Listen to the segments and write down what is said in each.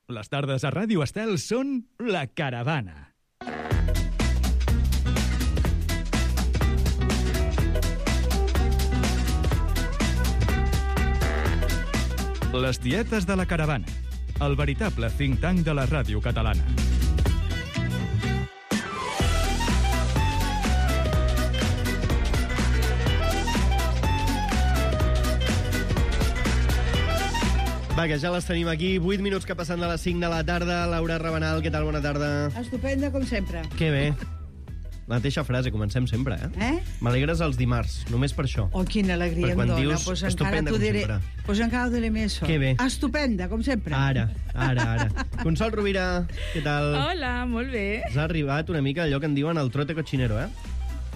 Les tardes a Ràdio Estel són La Caravana. Les tietes de La Caravana, el veritable think tank de la ràdio catalana. Va, que ja les tenim aquí. 8 minuts que passen de les 5 de la tarda. Laura Rabanal, què tal? Bona tarda. Estupenda, com sempre. Que bé. La mateixa frase, comencem sempre, M'alegres els dimarts, només per això. Oh, quina alegria em dona. Dius, pues estupenda, com sempre. Pues encara ho diré més. Que bé. Estupenda, com sempre. Ara. Consol Rovira, què tal? Hola, molt bé. Has arribat una mica allò que en diuen el trote cochinero,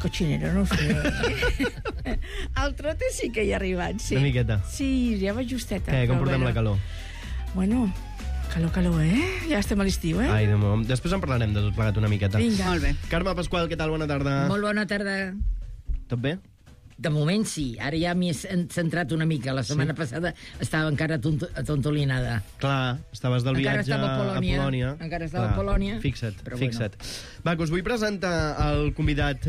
Cochinero, no ho sé. El trote sí que hi ha arribat, sí. Una miqueta. Sí, ja va justeta. Què, com portem la calor? Bueno, calor, Ja estem a l'estiu, Ai, després en parlarem de tot plegat una miqueta. Vinga. Molt bé. Carme Pasqual, què tal? Bona tarda. Molt bona tarda. Tot bé? De moment sí, ara ja m'hi he centrat una mica. La setmana passada estava encara atontolinada. Clar, estaves del Encara viatge estava a Polònia. Encara estava a Polònia. Fixa't. Bueno. Va, que us vull presentar el convidat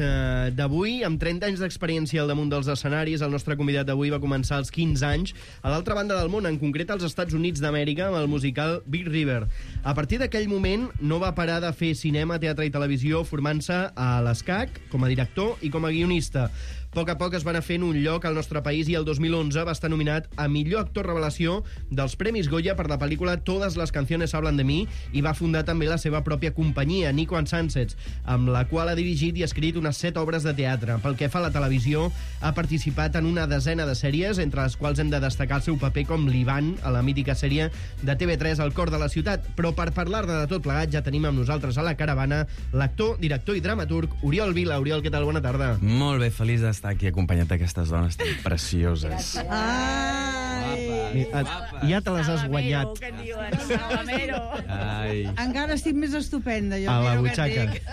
d'avui, amb 30 anys d'experiència al damunt dels escenaris. El nostre convidat d'avui va començar als 15 anys a l'altra banda del món, en concret als Estats Units d'Amèrica, amb el musical Big River. A partir d'aquell moment no va parar de fer cinema, teatre i televisió, formant-se a l'ESCAC com a director i com a guionista. A poc es va anar fent un lloc al nostre país i el 2011 va estar nominat a millor actor revelació dels Premis Goya per la pel·lícula Todas las canciones hablan de mí i va fundar també la seva pròpia companyia, Nico and Sunsets, amb la qual ha dirigit i escrit unes 7 obres de teatre. Pel que fa a la televisió, ha participat en una desena de sèries, entre les quals hem de destacar el seu paper com l'Ivan a la mítica sèrie de TV3 El cor de la ciutat. Però per parlar-ne de tot plegat ja tenim amb nosaltres a la caravana l'actor, director i dramaturg Oriol Vila. Oriol, què tal? Bona tarda. Molt bé, feliç d'estar aquí acompanyat d'aquestes dones tan precioses. Ja te les has guanyat. Ai. Encara estic més estupenda, jo. A la miro què butxaca. et dic.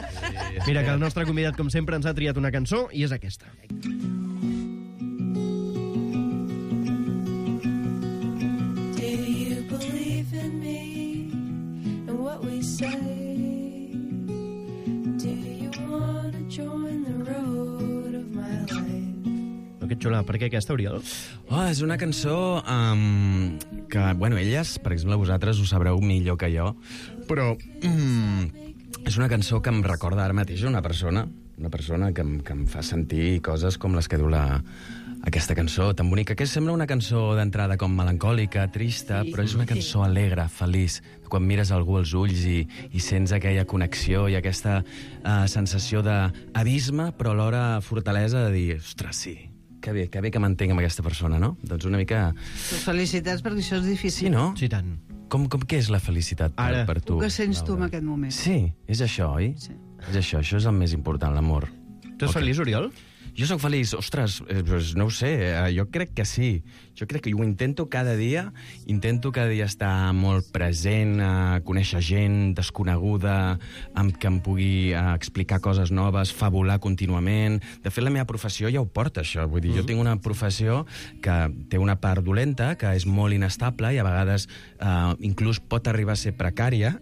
Mira, que el nostre convidat, com sempre, ens ha triat una cançó i és aquesta. Do you believe in me and what we say? Do you want to join the road of my life? Que xula. Per què aquesta, Oriol? És una cançó que, bueno, elles, per exemple, vosaltres ho sabreu millor que jo, però és una cançó que em recorda ara mateix una persona que em fa sentir coses com les que diu aquesta cançó tan bonica, que sembla una cançó d'entrada com melancòlica, trista, però és una cançó alegre, feliç, quan mires algú als ulls i sents aquella connexió i aquesta sensació d'abisme, però alhora fortalesa de dir, ostres, sí, que bé que m'entenc amb aquesta persona, no? Doncs una mica... Felicitats, perquè això és difícil. Sí, no? Sí, tant. Com què és la felicitat per tu? Què sents tu en aquest moment? Sí, és això, oi? Sí. És això és el més important, l'amor. Tu ets feliç, Oriol? Jo sóc feliç, ostres, no ho sé, jo crec que sí. Jo crec que ho intento cada dia estar molt present, conèixer gent desconeguda, que em pugui explicar coses noves, fabular contínuament. De fet, la meva professió ja ho porta, això. Vull dir, jo tinc una professió que té una part dolenta, que és molt inestable i a vegades inclús pot arribar a ser precària,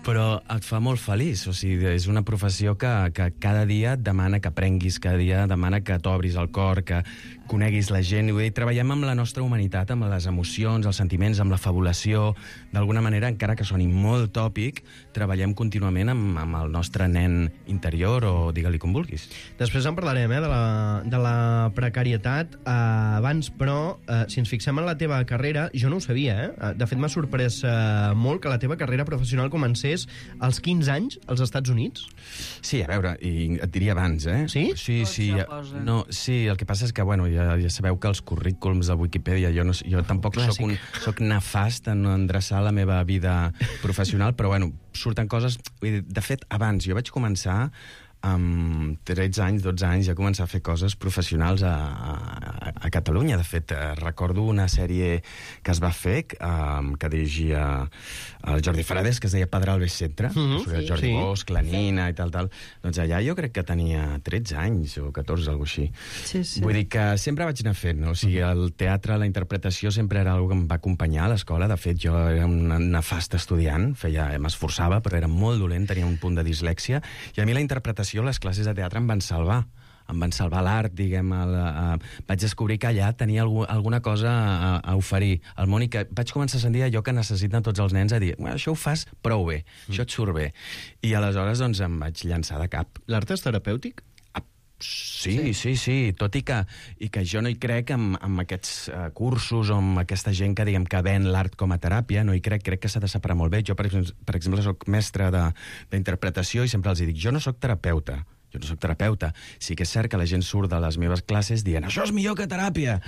però et fa molt feliç. O sigui, és una professió que cada dia et demana que aprenguis, cada dia demana que t'obris el cor, que coneguis la gent. I vull dir, treballem amb la nostra humanitat, amb les emocions, els sentiments, amb la fabulació. D'alguna manera, encara que soni molt tòpic, treballem contínuament amb el nostre nen interior, o digue-li com vulguis. Després en parlarem, de la precarietat. Abans, però, si ens fixem en la teva carrera, jo no ho sabia, De fet, m'ha sorprès molt que la teva carrera professional comencés als 15 anys als Estats Units. Sí, a veure, i et diria abans, Sí? Sí, no, sí, el que passa és que, bueno, ja sabeu que els currículums de Wikipedia, jo tampoc soc nefast en endreçar la meva vida professional, però, bueno, surten coses... De fet, abans jo vaig començar amb 13 anys, 12 anys, ja començar a fer coses professionals a Catalunya. De fet, recordo una sèrie que es va fer, que dirigia el Jordi Farades, que es deia Pedralbes Centre, el Jordi Bosch, la Nina i tal. Doncs allà jo crec que tenia 13 anys o 14, alguna cosa així. Sí, sí. Vull dir que sempre vaig anar fent, no? O sigui, el teatre, la interpretació sempre era una que em va acompanyar a l'escola. De fet, jo era una nefasta estudiant, m'esforçava, però era molt dolent, tenia un punt de dislèxia, i a mi la interpretació, les classes de teatre em van salvar l'art, diguem. Vaig descobrir que allà tenia alguna cosa a oferir al món i que vaig començar a sentir allò que necessiten tots els nens, a dir, això ho fas prou bé, això et surt bé. I aleshores doncs, em vaig llançar de cap. L'art és terapèutic? Sí, tot i que jo no hi crec en aquests cursos o en aquesta gent que, diguem, que ven l'art com a teràpia, no hi crec que s'ha de separar molt bé. Jo, per exemple, soc mestre d'interpretació i sempre els dic, jo no soc terapeuta. Sí que és cert que la gent surt de les meves classes dient això és millor que teràpia,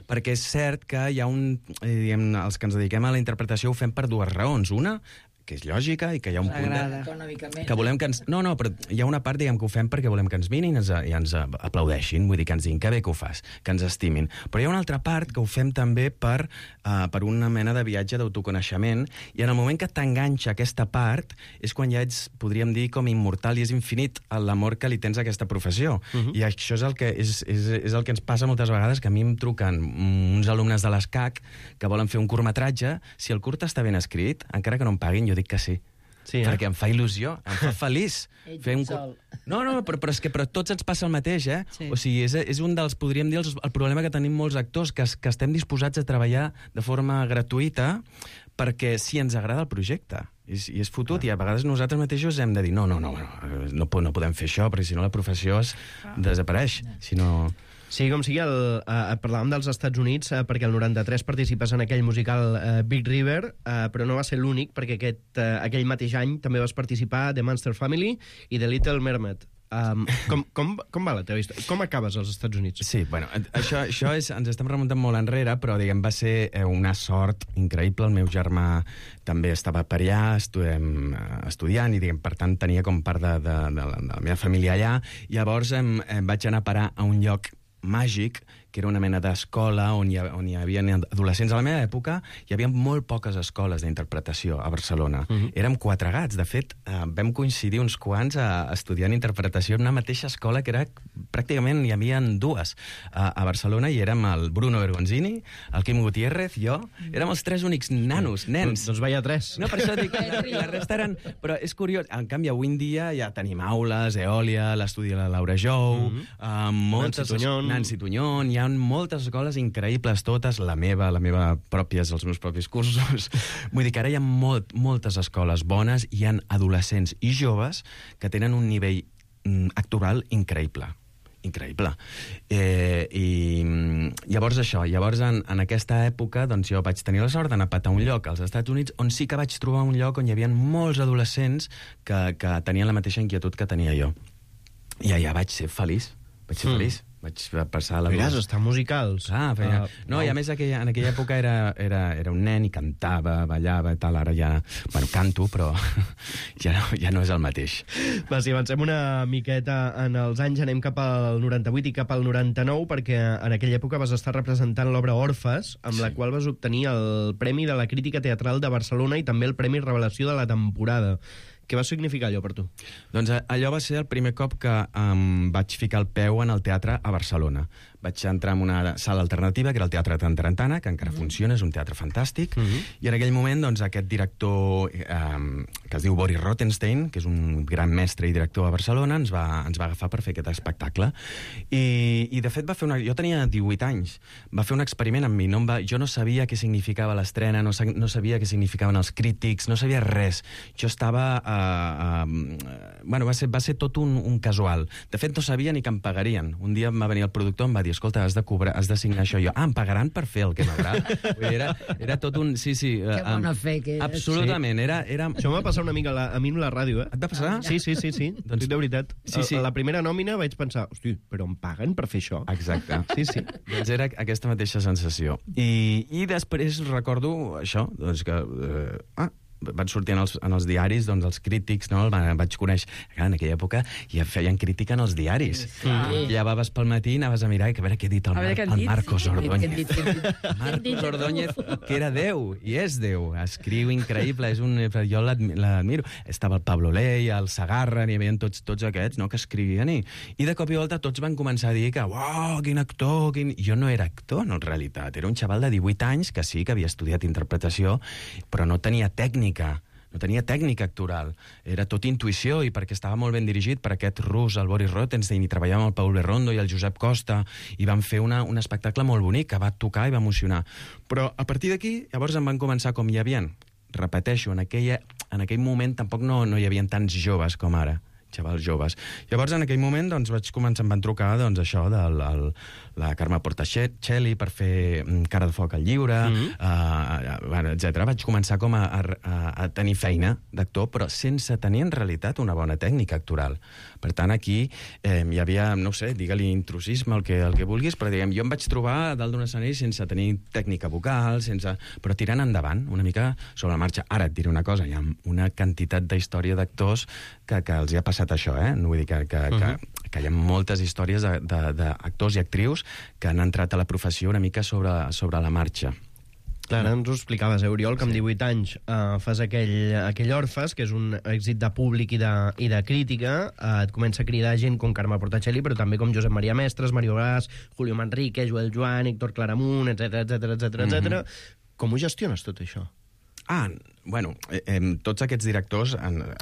perquè és cert que hi ha els que ens dediquem a la interpretació ho fem per dues raons. Una, que és lògica i que hi ha un punt que volem que ens... No, però hi ha una part, diguem, que ho fem perquè volem que ens mirin i ens aplaudeixin, vull dir, que ens diguin que bé que ho fas, que ens estimin. Però hi ha una altra part que ho fem també per una mena de viatge d'autoconeixement, i en el moment que t'enganxa aquesta part és quan ja ets, podríem dir, com immortal i és infinit l'amor que li tens a aquesta professió. I això és el que ens passa moltes vegades, que a mi em truquen uns alumnes de l'ESCAC que volen fer un curtmetratge. Si el curt està ben escrit, encara que no em paguin, jo dic que sí. Perquè em fa il·lusió, em fa feliç. No, però tots ens passa el mateix, eh? Sí. O sigui, és un dels, podríem dir, el problema que tenim molts actors, que estem disposats a treballar de forma gratuïta perquè si ens agrada el projecte. I és fotut, i a vegades nosaltres mateixos hem de dir no podem fer això, perquè si no la professió desapareix. Si no... Sí, com sigui, parlàvem dels Estats Units perquè el 93 participes en aquell musical Big River, però no va ser l'únic, perquè aquell mateix any també vas participar a The Monster Family i The Little Mermaid. Com va la teva història? Com acabes als Estats Units? Sí, bueno, això ens estem remuntant molt enrere, però diguem, va ser una sort increïble. El meu germà també estava per allà, estudiant, i diguem, per tant tenia com part de la meva família allà. Llavors vaig anar a parar a un lloc màgic, que era una mena d'escola on hi havia adolescents. A la meva època hi havia molt poques escoles d'interpretació a Barcelona. Érem 4 gats. De fet, vam coincidir uns quants estudiant interpretació en una mateixa escola, que era pràcticament hi havia 2 a Barcelona, i érem el Bruno Bergonzini, el Quim Gutiérrez, jo. Érem els 3 únics nens. Doncs vaya 3. No, per això dic, la resta eren... Però és curiós, en canvi, avui en dia ja tenim aules, Eòlia, l'estudi de la Laura Jou, Nancy Tuñón, hi ha moltes escoles increïbles, totes, la meva pròpia, els meus propis cursos. Vull dir que ara hi ha moltes escoles bones, i hi ha adolescents i joves que tenen un nivell actoral increïble. I llavors en aquesta època, doncs jo vaig tenir la sort d'anar a patar un lloc als Estats Units on sí que vaig trobar un lloc on hi havia molts adolescents que tenien la mateixa inquietud que tenia jo. I allà vaig ser feliç. Vaig passar la... Miràs, estar musicals. No, i a més en aquella època era un nen i cantava, ballava i tal. Ara ja... Bueno, canto, però ja no és el mateix. Va, si avancem una miqueta en els anys, anem cap al 98 i cap al 99, perquè en aquella època vas estar representant l'obra Orfes, amb la qual vas obtenir el Premi de la Crítica Teatral de Barcelona i també el Premi Revelació de la temporada. Què va significar allò per tu? Doncs allò va ser el primer cop que vaig ficar el peu en el teatre a Barcelona. Vaig entrar en una sala alternativa, que era el Teatre Tantarantana, que encara funciona, és un teatre fantàstic, i en aquell moment doncs, aquest director que es diu Boris Rothenstein, que és un gran mestre i director a Barcelona, ens va agafar per fer aquest espectacle. I de fet, jo tenia 18 anys, va fer un experiment amb mi. Jo no sabia què significava l'estrena, no sabia què significaven els crítics, no sabia res. Jo estava... Bueno, va ser tot un casual. De fet, no sabia ni que em pagarien. Un dia em va venir el productor i em va dir, escolta, has de signar això. Jo, em pagaran per fer el que m'agrada. Era tot un... Sí. Que bona fe que és. Absolutament. Això m'ha passat una mica a mi amb la ràdio, eh? Et va passar? Sí. Doncs, de veritat. A la primera nòmina vaig pensar, hosti, però em paguen per fer això? Exacte. Sí. Doncs era aquesta mateixa sensació. I després recordo això, doncs que... van sortir en els diaris, doncs els crítics, no? Vaig conèixer... Clar, en aquella època ja feien crítica en els diaris. Llevaves pel matí i anaves a mirar i a veure què ha dit el Marcos Ordóñez. Marcos Ordóñez, que era Déu, i és Déu. Escriu increïble, jo l'admiro. Estava el Pablo Ley, el Sagarra, n'hi havia tots aquests, no?, que escrivien, i de cop i volta tots van començar a dir que, uau, quin actor, Jo no era actor, no, en realitat. Era un xaval de 18 anys que sí, que havia estudiat interpretació, però no tenia tècnica actoral. Era tot intuïció, i perquè estava molt ben dirigit per aquest rus, el Boris Rothenstein, i treballava amb el Paul Berrondo i el Josep Costa, i van fer un espectacle molt bonic, que va tocar i va emocionar. Però a partir d'aquí, llavors em van començar com hi havia, repeteixo, en aquell moment tampoc no hi havia tants joves com ara, xavals joves. Llavors, en aquell moment, doncs, em van trucar, doncs, això, la Carme Portacelli per fer Cara de foc al lliure, etc. Vaig començar com a tenir feina d'actor, però sense tenir, en realitat, una bona tècnica actoral. Per tant, aquí hi havia, no sé, digue-li intrusisme, el que vulguis, però, diguem, jo em vaig trobar a dalt d'un escenari sense tenir tècnica vocal, però tirant endavant, una mica sobre la marxa. Ara et diré una cosa, hi ha una quantitat d'història d'actors que els hi ha passat això, no vull dir que hi ha moltes històries d'actors i actrius que han entrat a la professió una mica sobre la marxa. Clar, ens ho explicaves, Oriol, que amb 18 anys fas aquell Orfes, que és un èxit de públic i de crítica, et comença a cridar gent com Carme Portacelli, però també com Josep Maria Mestres, Mario Gas, Julio Manrique, Joel Joan, Héctor Claramunt, etc. Com ho gestiones, tot això? Bueno, tots aquests directors...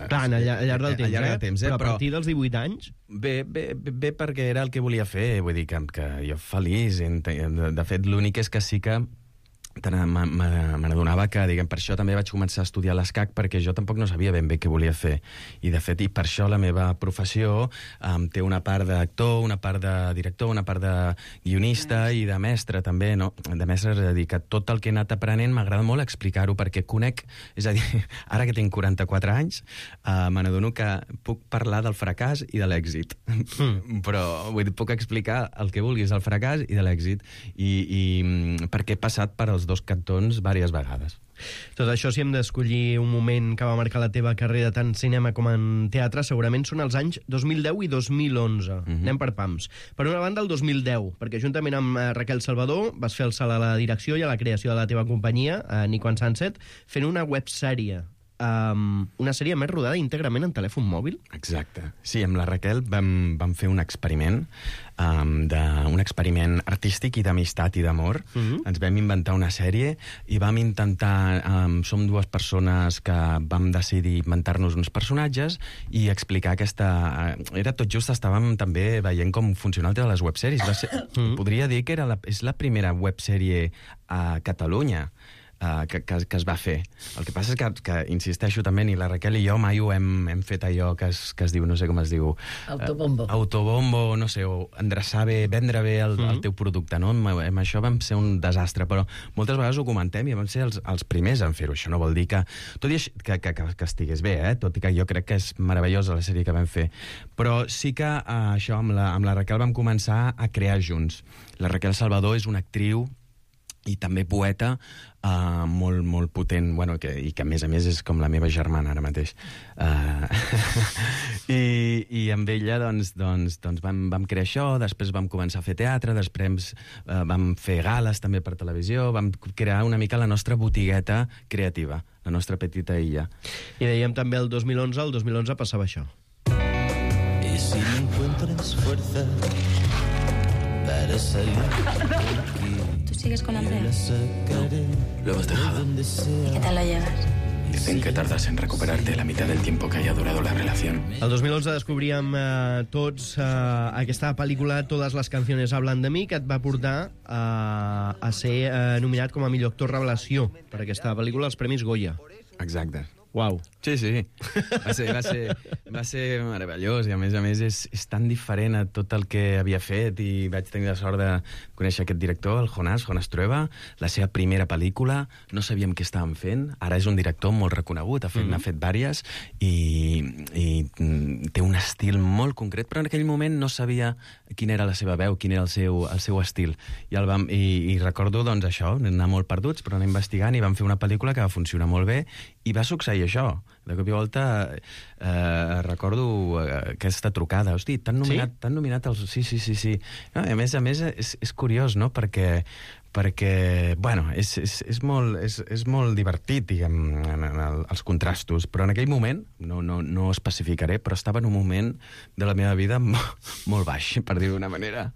Clar, al llarg del temps, però a partir dels 18 anys... Bé, perquè era el que volia fer, vull dir que jo feliç. De fet, l'únic és que sí que me n'adonava que, diguem, per això també vaig començar a estudiar l'escac, perquè jo tampoc no sabia ben bé què volia fer. I, de fet, per això la meva professió té una part d'actor, una part de director, una part de guionista i de mestre, també, no? De mestre, és a dir, que tot el que he anat aprenent m'agrada molt explicar-ho, perquè conec, és a dir, ara que tinc 44 anys, me n'adono que puc parlar del fracàs i de l'èxit. Però, vull dir, puc explicar el que vulguis del fracàs i de l'èxit, i perquè he passat per els dos cantons diverses vegades. Tot això, si hem d'escollir un moment que va marcar la teva carrera tant en cinema com en teatre, segurament són els anys 2010 i 2011. Anem per pams. Per una banda, el 2010, perquè juntament amb Raquel Salvador vas fer el salt a la direcció i a la creació de la teva companyia, Nico and Sunset, fent una websèrie. Una sèrie més rodada íntegrament en telèfon mòbil? Exacte. Sí, amb la Raquel vam fer un experiment, un experiment artístic i d'amistat i d'amor. Ens vam inventar una sèrie i vam intentar... Som dues persones que vam decidir inventar-nos uns personatges i explicar aquesta... Era tot just, estàvem també veient com funciona el tema de les websèries. Podria dir que és la primera websèrie a Catalunya que es va fer. El que passa és que insisteixo també, ni la Raquel i jo mai ho hem fet allò que es diu, no sé com es diu... Autobombo. Autobombo, no sé, o endreçar bé, vendre bé el teu producte, no? Amb això vam ser un desastre, però moltes vegades ho comentem i vam ser els primers en fer-ho. Això no vol dir que... Tot i que estigués bé, tot i que jo crec que és meravellosa la sèrie que vam fer. Però sí que això, amb la Raquel vam començar a crear junts. La Raquel Salvador és una actriu i també poeta molt, molt potent, bueno, i que a més és com la meva germana ara mateix. I amb ella doncs vam crear això, després vam començar a fer teatre, després vam fer gales també per televisió, vam crear una mica la nostra botigueta creativa, la nostra petita illa. I dèiem també el 2011 passava això. Y si no encuentras fuerza para salir de aquí, ¿Tú sigues con Andrea? lo hemos dejado. ¿Y qué tal lo llevas? Dicen que tardas en recuperarte la mitad del tiempo que haya durado la relación. El 2011 descobríem tots aquesta pel·lícula Todas las canciones hablan de mí, que et va portar a ser nominat com a millor actor revelació per aquesta pel·lícula als Premis Goya. Exacte. Uau. Sí, sí. Va ser meravellós i a més és tan diferent a tot el que havia fet i vaig tenir la sort de conèixer aquest director, el Jonas Trueba, la seva primera pel·lícula, no sabíem què estàvem fent, ara és un director molt reconegut, n'ha fet vàries i té un estil molt concret, però en aquell moment no sabia quina era la seva veu, quin era el seu estil. I recordo, doncs, això, anar molt perduts, però anar investigant i vam fer una pel·lícula que va funcionar molt bé i va succeir això. De cop i volta recordo aquesta trucada. Hosti, t'han nominat els... Sí. No, a més, és curiós, no?, perquè bueno, és molt divertit, diguem, els contrastos, però en aquell moment, no especificaré, però estava en un moment de la meva vida molt baix, per dir-ho d'una manera.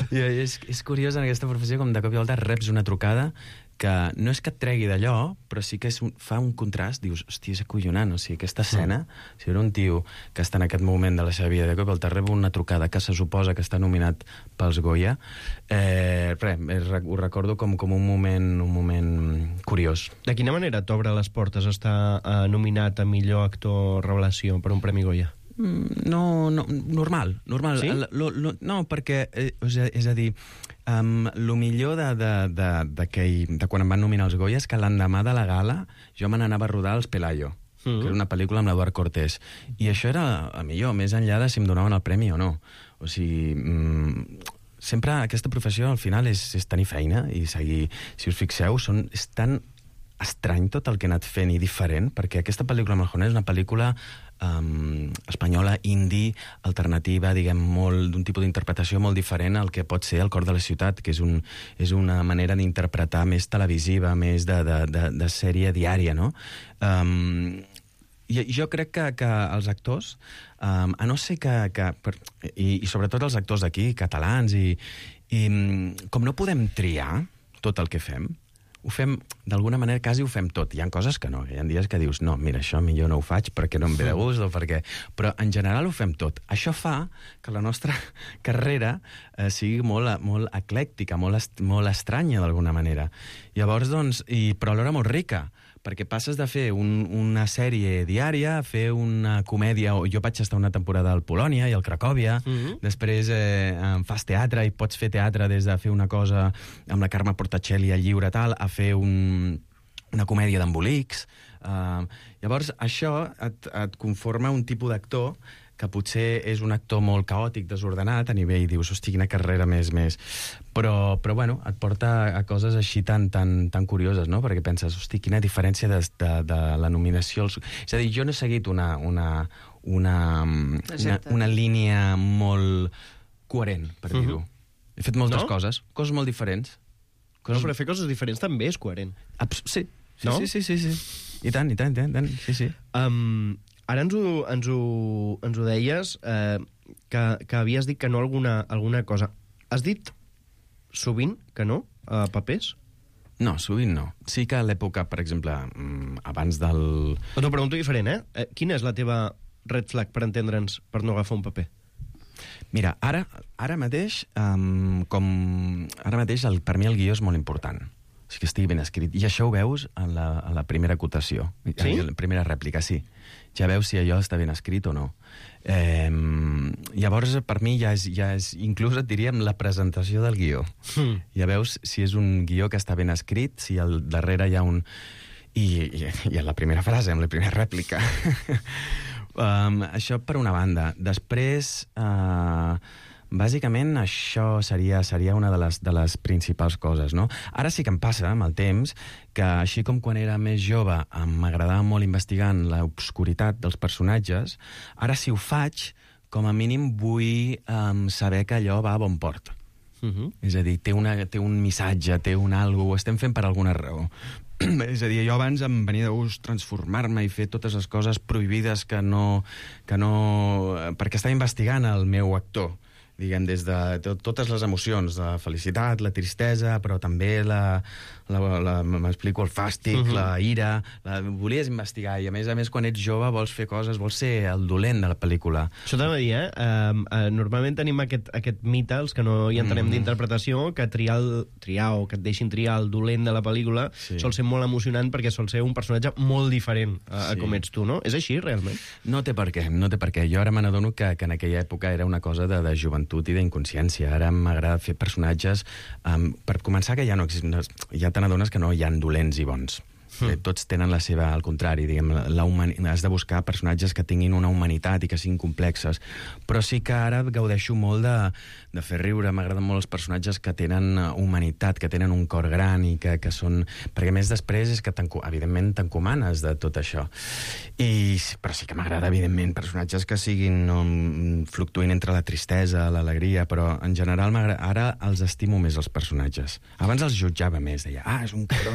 I és curiós en aquesta professió com de cop i volta reps una trucada que no és que et tregui d'allò, però sí que fa un contrast, dius, hòstia, és acollonant, o sigui, aquesta escena, si era un tio que està en aquest moment de la seva vida, de cop te rep una trucada que se suposa que està nominat pels Goya, ho recordo com un moment curiós. De quina manera t'obre les portes estar nominat a millor actor revelació per un Premi Goya? No, normal. Sí? No, perquè, és a dir, el millor de quan em van nominar els Goya és que l'endemà de la gala jo me n'anava a rodar als Pelayo, que era una pel·lícula amb l'Eduard Cortés. I això era el millor, més enllà de si em donaven el premi o no. O sigui, sempre aquesta professió al final és tenir feina i seguir. Si us fixeu, és tan estrany tot el que he anat fent i diferent, perquè aquesta pel·lícula amb el Jonas és una pel·lícula espanyola, indie, alternativa, diguem, d'un tipus d'interpretació molt diferent al que pot ser El cor de la ciutat, que és una manera d'interpretar més televisiva, més de sèrie diària, no? I jo crec que els actors, a no ser i sobretot els actors d'aquí, catalans, i com no podem triar tot el que fem, ho fem, d'alguna manera, quasi ho fem tot. Hi ha coses que no, hi ha dies que dius, no, mira, això millor no ho faig perquè no em ve de gust o perquè... Però, en general, ho fem tot. Això fa que la nostra carrera sigui molt eclèctica, molt estranya, d'alguna manera. Llavors, doncs, però alhora molt rica, perquè passes de fer una sèrie diària a fer una comèdia, jo vaig estar una temporada al Polònia i al Cracòvia, després fas teatre i pots fer teatre des de fer una cosa amb la Carme Portacelli al Lliure tal, a fer una comèdia d'embolics. Llavors, això et conforma un tipus d'actor que potser és un actor molt caòtic, desordenat, a nivell, dius, hosti, quina carrera més. Però bueno, et porta a coses així tan curioses, no? Perquè penses, hosti, quina diferència de la nominació... És a dir, jo no he seguit una línia molt coherent, per dir-ho. He fet moltes coses molt diferents. No, però fer coses diferents també és coherent. Sí. I tant, sí. Ara ens ho deies, que havies dit que no alguna cosa. Has dit sovint que no a papers? No, sovint no. Sí que a l'època, per exemple, abans del... T'ho pregunto diferent, Quina és la teva red flag, per entendre'ns, per no agafar un paper? Mira, ara mateix, per mi el guió és molt important. O sigui, que estigui ben escrit. I això ho veus a la primera acotació. Sí? A la primera rèplica, sí. Ja veus si allò està ben escrit o no. Llavors, per mi, ja és inclús, et diríem, la presentació del guió. Ja veus si és un guió que està ben escrit, si al darrere hi ha un... I a la primera frase, amb la primera rèplica. Això per una banda. Després... bàsicament, això seria una de les principals coses, no? Ara sí que em passa, amb el temps, que així com quan era més jove m'agradava molt investigar en l'obscuritat dels personatges, ara si ho faig, com a mínim vull saber que allò va a bon port. És a dir, té un missatge, té un algo, ho estem fent per alguna raó. És a dir, jo abans em venia de gust transformar-me i fer totes les coses prohibides que no... perquè estava investigant el meu actor. diguem, des de totes les emocions, la felicitat, la tristesa, però també m'explico, el fàstic, la ira, volies investigar, i a més quan ets jove vols fer coses, vols ser el dolent de la pel·lícula. Això t'ha de dir, normalment tenim aquest mite, els que no hi entenem d'interpretació, que triar o que et deixin triar el dolent de la pel·lícula sol ser molt emocionant perquè sol ser un personatge molt diferent a com ets tu, no? És així, realment? No té per què. Jo ara me n'adono que en aquella època era una cosa de joventut i d'inconsciència. Ara m'agrada fer personatges... Per començar, que ja te n'adones que no hi ha dolents i bons. Tots tenen la seva, al contrari, diguem, has de buscar personatges que tinguin una humanitat i que siguin complexes, però sí que ara gaudeixo molt de fer riure. M'agraden molt els personatges que tenen humanitat, que tenen un cor gran i que són... Perquè més després és que, evidentment, t'encomanes de tot això. Però sí que m'agrada, evidentment, personatges que siguin fluctuïn entre la tristesa, l'alegria, però en general ara els estimo més, els personatges. Abans els jutjava més, deia, és un cabró.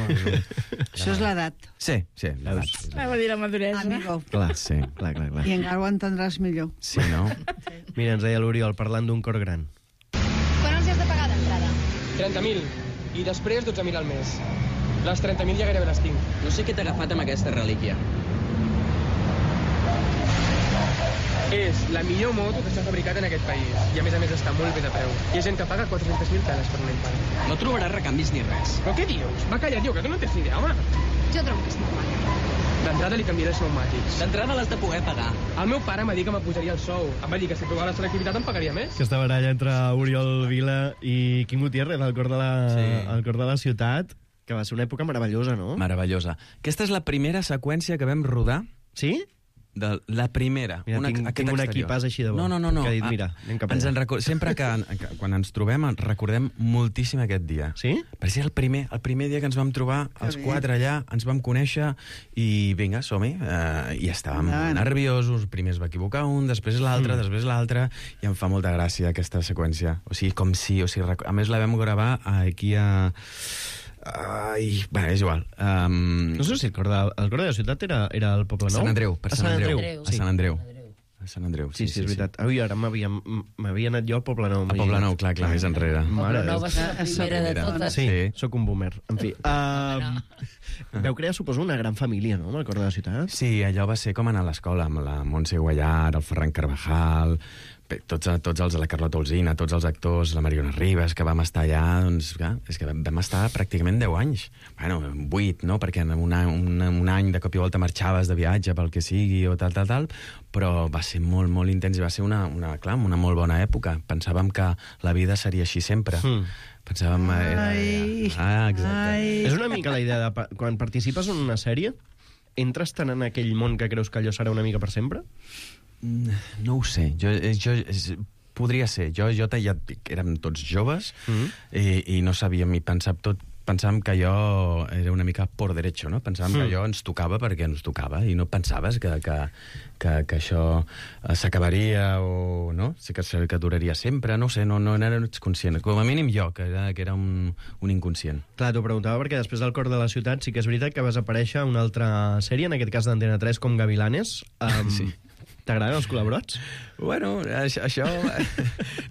Això és l'edat. Sí, l'edat. Va dir la maduresa. Amigo. Clar, sí. Clar. I encara ho entendràs millor. Sí, no? Mira, ens deia l'Oriol, parlant d'un cor gran. Quan els has de pagar d'entrada? 30.000. I després 12.000 al mes. Les 30.000 ja gairebé les tinc. No sé què t'ha agafat amb aquesta relíquia. És la millor moto que s'ha fabricat en aquest país. I a més està molt bé de preu. Hi ha gent que paga 400.000 peles per una impara. No trobaràs recanvis ni res. Però què dius? Va callar, tio, que tu no tens ni idea, home. Jo trobo que és normal. D'entrada li canviaré els pneumàtics. D'entrada l'has de poder pagar. El meu pare m'ha dit que m'apujaria el sou. Em va dir que si provava la selectivitat em pagaria més. Aquesta baralla entre Oriol Vila i Quim Gutiérrez al cor de la ciutat, que va ser una època meravellosa, no? Meravellosa. Aquesta és la primera seqüència que vam rodar. Sí? La primera. Mira, tinc un equipàs així de bo. No. Que ha dit, mira, anem cap allà. Sempre que quan ens trobem recordem moltíssim aquest dia. Sí? Perquè el primer dia que ens vam trobar, els quatre allà, ens vam conèixer i vinga, som-hi. I estàvem nerviosos. Primer es va equivocar un, després l'altre, i em fa molta gràcia aquesta seqüència. O sigui, com si... A més, la vam gravar aquí a... és igual. No sé si el cor de la ciutat era el Poble Nou. Sant Andreu, per Sant Andreu. Sí. A Sant Andreu, sí, és veritat. Ui, ara m'havia anat jo a Poble Nou. A Poble Nou, clar, més enrere. Poble Nou va ser la primera de totes. Sí, sóc un boomer. En fi. Vau crear, suposo, una gran família, no?, amb el cor de la ciutat. Sí, allò va ser com anar a l'escola, amb la Montse Guallar, el Ferran Carvajal, tots els de la Carlota Olsina, tots els actors, la Mariona Ribas, que vam estar allà, doncs, clar, és que vam estar pràcticament 10 anys. Bueno, 8, no?, perquè en un any de cop i volta marxaves de viatge pel que sigui o tal, però va ser molt, molt intens i va ser una molt bona època. Pensàvem que la vida seria així sempre. Pensàvem... exacte. És una mica la idea de... Quan participes en una sèrie, entres tant en aquell món que creus que allò serà una mica per sempre? No ho sé. Podria ser. Jo ja érem tots joves i no sabíem i pensàvem que allò era una mica por derecho, no? Pensàvem que allò ens tocava perquè ens tocava i no pensaves que això s'acabaria o no? Sí que duraria sempre, no ho sé, no ets conscient. Com a mínim jo, que era un inconscient. Clar, t'ho preguntava perquè després del cor de la ciutat sí que és veritat que vas aparèixer a una altra sèrie, en aquest cas d'Antena 3, com Gavilanes. Sí. T'agraden els culebrots? Bueno, això...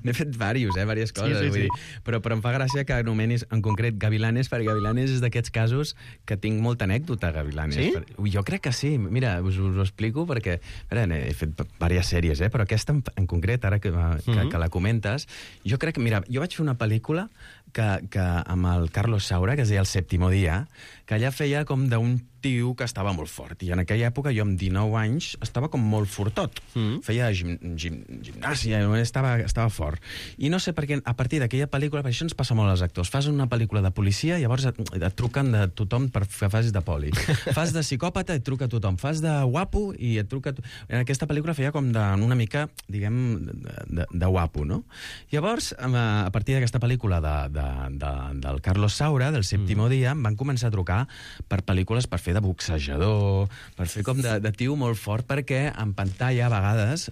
N'he fet diverses coses, vull dir. Però em fa gràcia que anomenis en concret Gavilanes, perquè Gavilanes és d'aquests casos que tinc molta anècdota, Gavilanes. Sí? Jo crec que sí. Mira, us ho explico perquè... He fet diverses sèries, però aquesta en concret, ara que la comentes, jo crec que... Mira, jo vaig fer una pel·lícula que amb el Carlos Saura, que es deia El sèptimo dia, que allà feia com d'un tio que estava molt fort. I en aquella època, jo amb 19 anys, estava com molt fortot. Feia gimnàsia, estava fort. I no sé per què, a partir d'aquella pel·lícula, per això ens passa molt als actors, fas una pel·lícula de policia i llavors et truquen de tothom per que facis de poli. Fas de psicòpata i et truca tothom. Fas de guapo i et truca... En aquesta pel·lícula feia com una mica, diguem, de guapo, no? Llavors, a partir d'aquesta pel·lícula del Carlos Saura, del sèptimo dia, em van començar a trucar agafar per pel·lícules per fer de boxejador, per fer com de tio molt fort, perquè en pantalla, a vegades,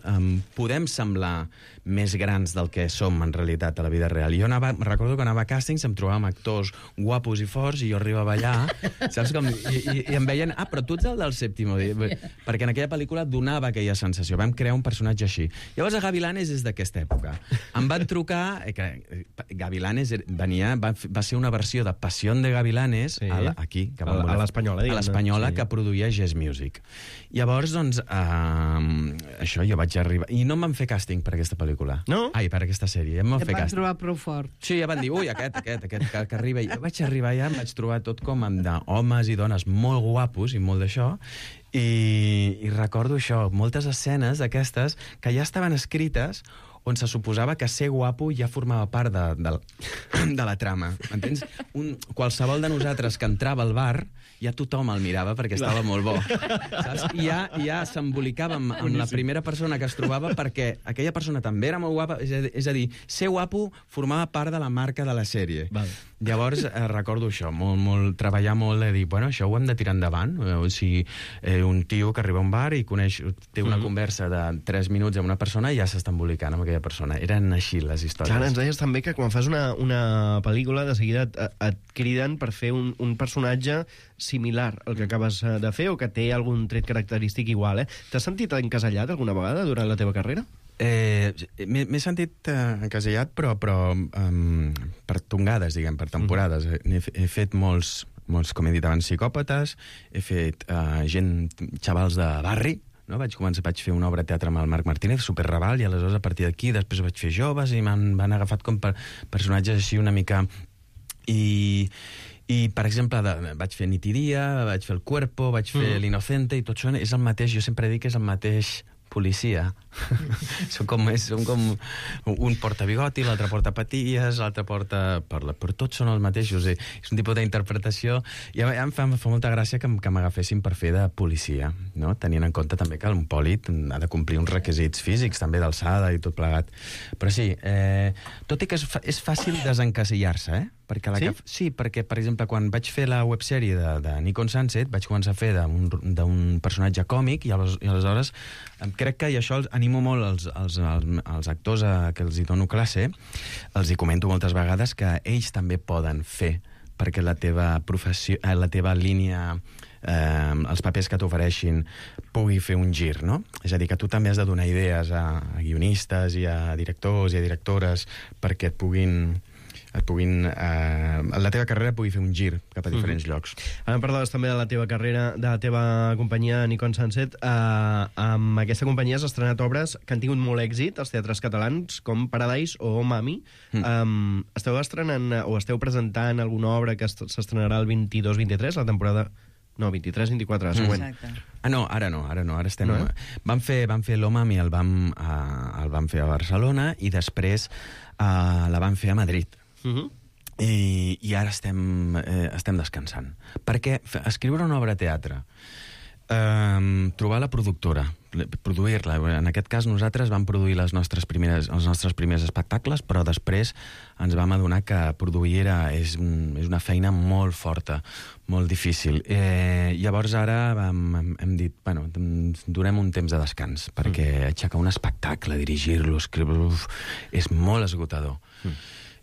podem semblar més grans del que som, en realitat, a la vida real. Recordo que anava a càstings, em trobava amb actors guapos i forts, i jo arribava allà, saps com... I em veien, però tu ets el del Séptimo dia, perquè en aquella pel·lícula donava aquella sensació. Vam crear un personatge així. Llavors, a Gavilanes és d'aquesta època. Em van trucar... Gavilanes va ser una versió de Pasión de Gavilanes, aquí, a l'Espanyola, a l'Espanyola, que produïa Jazz Music. Llavors, doncs, això, jo vaig arribar... I no em van fer càsting per aquesta pel·lícula. No? Ai, per aquesta sèrie. Em van fer Et van càsting. trobar prou fort. Sí, ja van dir, ui, aquest que arriba. Jo vaig arribar allà, em vaig trobar tot com d'homes i dones molt guapos i molt d'això, i recordo això, moltes escenes d'aquestes que ja estaven escrites on se suposava que ser guapo ja formava part de la trama. M'entens? Qualsevol de nosaltres que entrava al bar, ja tothom el mirava perquè estava molt bo. Saps? I ja s'embolicàvem amb la primera persona que es trobava perquè aquella persona també era molt guapa, és a dir, ser guapo formava part de la marca de la sèrie. Val. Llavors, recordo això, treballar molt de dir, bueno, això ho hem de tirar endavant. O sigui, un tio que arriba a un bar i té una conversa de 3 minuts amb una persona i ja s'està embolicant amb aquella persona. Eren així les històries. Clar, ens deies també que quan fas una pel·lícula, de seguida et criden per fer un personatge similar al que acabes de fer o que té algun tret característic igual, T'has sentit encasellat alguna vegada durant la teva carrera? M'he sentit encasellat, però per tongades, diguem, per temporades. He fet molts, com he dit abans, psicòpates, he fet xavals de barri, no? Vaig fer una obra de teatre amb el Marc Martínez, superraval, i aleshores a partir d'aquí després vaig fer joves i m'han agafat com personatges així una mica... I, per exemple, vaig fer Nit i Dia, vaig fer El Cuerpo, vaig fer L'Inocente, i tot això és el mateix, jo sempre dic que és el mateix policia. Som com un porta bigoti, l'altre porta patilles, l'altre porta... Però tots són els mateixos. És un tipus d'interpretació. I em fa molta gràcia que m'agafessin per fer de policia, no? Tenint en compte també que un pòlit ha de complir uns requisits físics, també d'alçada i tot plegat. Però sí, tot i que és fàcil desencasillar-se, Sí, perquè, per exemple, quan vaig fer la websèrie de Nikon Sunset, vaig començar a fer d'un personatge còmic i aleshores crec que, i això animo molt els actors que els hi dono classe, els hi comento moltes vegades que ells també poden fer perquè la teva línia, els papers que t'ofereixin pugui fer un gir, no? És a dir, que tu també has de donar idees a guionistes i a directors i a directores perquè la teva carrera pugui fer un gir cap a diferents llocs. Ara em parlaves també de la teva carrera, de la teva companyia Nikon Sunset. Amb aquesta companyia has estrenat obres que han tingut molt èxit als teatres catalans, com Paradise o Mami. Esteu estrenant o esteu presentant alguna obra que s'estrenarà el 22-23, la temporada... No, 23-24, següent. Exacte. No, ara estem... No? Vam fer l'Omami, el vam fer a Barcelona i després la vam fer a Madrid. I ara estem descansant. Perquè escriure una obra de teatre, trobar la productora, produir-la. En aquest cas nosaltres vam produir els nostres primers espectacles, però després ens vam adonar que produir és una feina molt forta, molt difícil. Llavors ara hem dit, bueno, donem un temps de descans, perquè aixecar un espectacle, dirigir-lo, escriure-lo, és molt esgotador.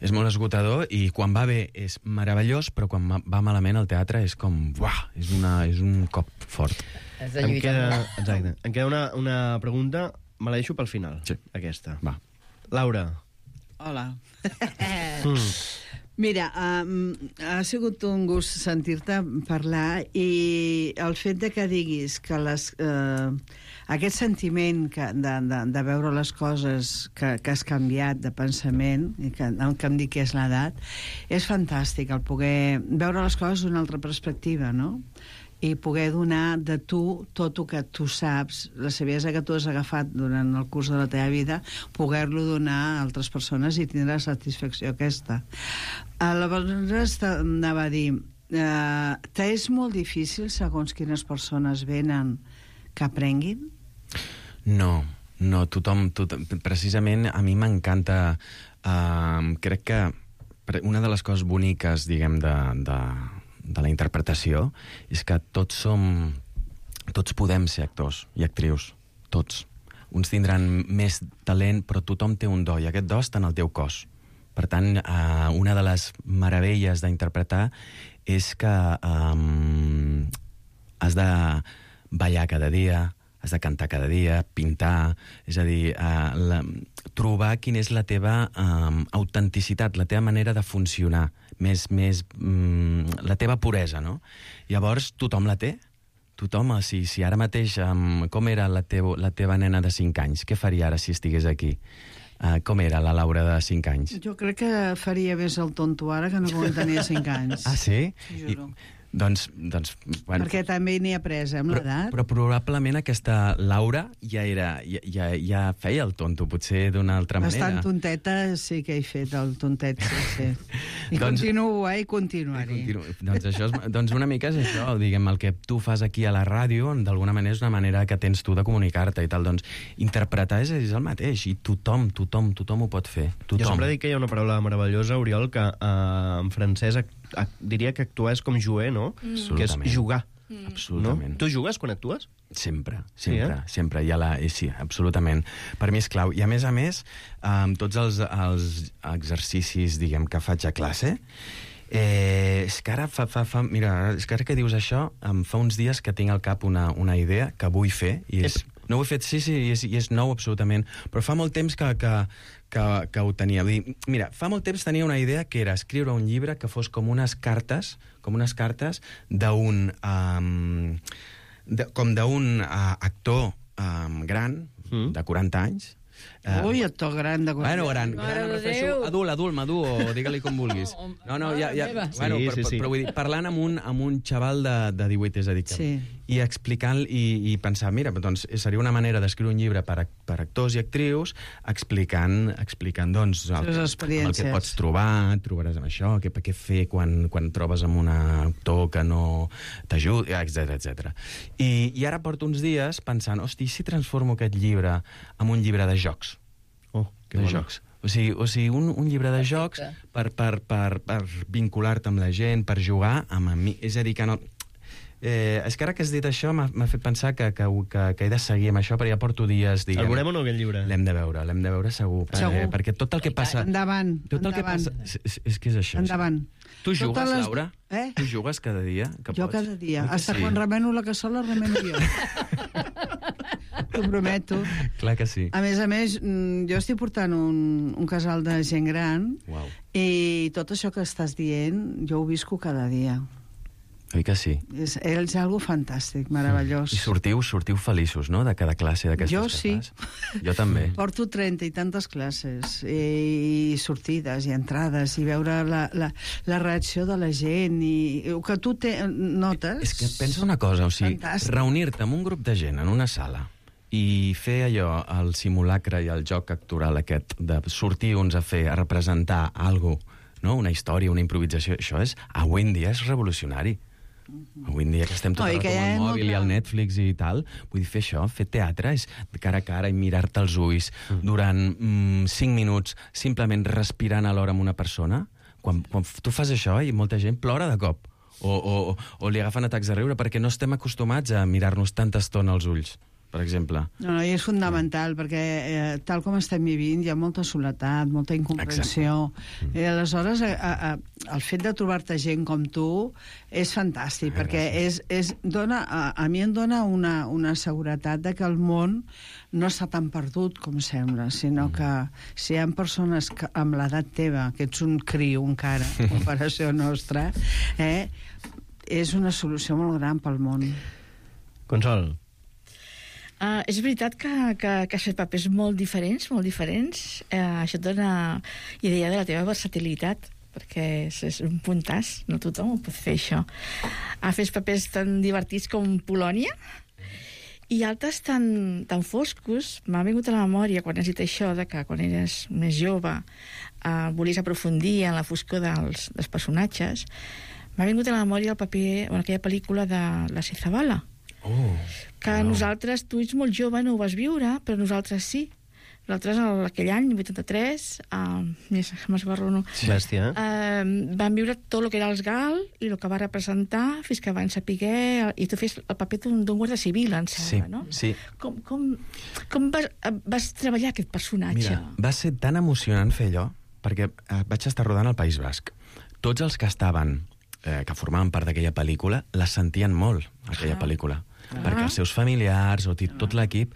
És molt esgotador i quan va bé és meravellós, però quan va malament el teatre és com... Uah, és un cop fort. Em queda una pregunta, me la deixo pel final, aquesta. Va. Laura. Hola. Mira, ha sigut un gust sentir-te parlar i el fet de que diguis que aquest sentiment de veure les coses que has canviat de pensament, i que em dic que és l'edat, és fantàstic, el poder veure les coses d'una altra perspectiva, no? I poder donar de tu tot el que tu saps, la saviesa que tu has agafat durant el curs de la teva vida, poder-lo donar a altres persones i tindre la satisfacció aquesta. Llavors anava a dir, t'és molt difícil, segons quines persones venen, que aprenguin? No, tothom, precisament a mi m'encanta, crec que una de les coses boniques, diguem, la interpretació és que tots podem ser actors i actrius, tots. Uns tindran més talent, però tothom té un do, i aquest do està en el teu cos. Per tant, una de les meravelles d'interpretar és que has de ballar cada dia, has de cantar cada dia, pintar, és a dir, trobar quina és la teva autenticitat, la teva manera de funcionar, més la teva puresa, no? Llavors, tothom la té. Tothom, si ara mateix, com era la teva nena de 5 anys? Què faria ara si estigués aquí? Com era la Laura de 5 anys? Jo crec que faria més el tonto ara que no quan tenia 5 anys. Ah, sí? Juro. Doncs, bueno... Perquè també n'hi ha pres, amb l'edat. Però probablement aquesta Laura ja feia el tonto, potser d'una altra manera. Bastant tonteta sí que he fet, el tontet, sí. I continuo, i continuaré. Doncs una mica és això, diguem, el que tu fas aquí a la ràdio, d'alguna manera és una manera que tens tu de comunicar-te i tal, doncs interpretar és el mateix, i tothom ho pot fer. Tothom. Jo sempre dic que hi ha una paraula meravellosa, Oriol, que en francès diria que actuar és com jouer, no? Que és jugar. Absolutament. No? Tu jugues quan actues? Sempre. Sí. Sí, absolutament. Per mi és clau. I a més, tots els exercicis, diguem, que faig a classe, és que ara mira, és que ara que dius això, em fa uns dies que tinc al cap una idea que vull fer, i és... No ho he fet, sí, i és nou absolutament, però fa molt temps que ho tenia. Vull dir, mira, fa molt temps tenia una idea que era escriure un llibre que fos com unes cartes d'un actor gran, de 40 anys. Ui, actor gran de 40 anys. Bueno, gran, em refereixo adult, madur, o digue-li com vulguis. Però vull dir, parlant amb un xaval de 18, és a dir, i explicant i pensar, mira, doncs seria una manera d'escriure un llibre per actors i actrius explicant doncs, el que pots trobar, trobaràs amb això, què fer quan trobes amb un actor que no t'ajuda, etc. I ara porto uns dies pensant, hosti, si transformo aquest llibre en un llibre de jocs? Jocs. O sigui, un llibre de jocs per vincular-te amb la gent, per jugar amb mi. És a dir, que no... és que ara que has dit això m'ha fet pensar que he de seguir amb això, però ja porto dies, diguem... El veurem o no, aquest llibre? L'hem de veure segur. Perquè tot el que passa... Endavant. És que és això. Endavant. Tu jugues, Laura? Tu jugues cada dia? Jo cada dia. Hasta quan remeno la cassola, remeno jo. T'ho prometo. Clar que sí. A més, jo estic portant un casal de gent gran i tot això que estàs dient jo ho visco cada dia. Oi que sí? És algo fantàstic, meravellós. I sortiu feliços, no?, de cada classe d'aquestes que fas. Sí. Jo també. Porto 30 i tantes classes, i sortides, i entrades, i veure la reacció de la gent, i que tu notes... És que pensa una cosa, o sigui, reunir-te amb un grup de gent en una sala i fer allò, el simulacre i el joc actoral aquest, de sortir uns a representar alguna cosa, no? Una història, una improvisació, això avui en dia és revolucionari. Avui en dia que estem tot el rato amb el mòbil i el Netflix i tal, vull dir, fer això, fer teatre, és de cara a cara i mirar-te als ulls durant 5 minuts, simplement respirant alhora amb una persona. Quan tu fas això i molta gent plora de cop, o li agafen atacs de riure, perquè no estem acostumats a mirar-nos tanta estona als ulls, per exemple. No, i és fundamental, perquè tal com estem vivint hi ha molta soledat, molta incomprensió. I aleshores el fet de trobar-te gent com tu és fantàstic, perquè a mi em dona una seguretat de que el món no està tan perdut com sembla, sinó que si hi ha persones amb l'edat teva, que ets un criu encara, en comparació nostra, és una solució molt gran pel món. Consol. És veritat que has fet papers molt diferents. Això et dona idea de la teva versatilitat, perquè és un puntàs, no tothom ho pot fer, això. Has fet papers tan divertits com Polònia i altres tan foscos. M'ha vingut a la memòria, quan has dit això, de que quan eres més jove volies aprofundir en la foscor dels personatges. M'ha vingut a la memòria el paper en aquella pel·lícula de la Zabala, que nosaltres, tu ets molt jove, no ho vas viure, però nosaltres sí. L'altre és aquell any, 83, m'esbarrono. Sí. Bèstia, van viure tot el que era els GAL i el que va representar fins que van saber... I tu fes el paper d'un guàrdia civil, em sembla, no? Sí. Com vas treballar aquest personatge? Mira, va ser tan emocionant fer allò, perquè vaig estar rodant al País Basc. Tots els que estaven, que formaven part d'aquella pel·lícula, la sentien molt, aquella pel·lícula. Perquè els seus familiars, o tot l'equip...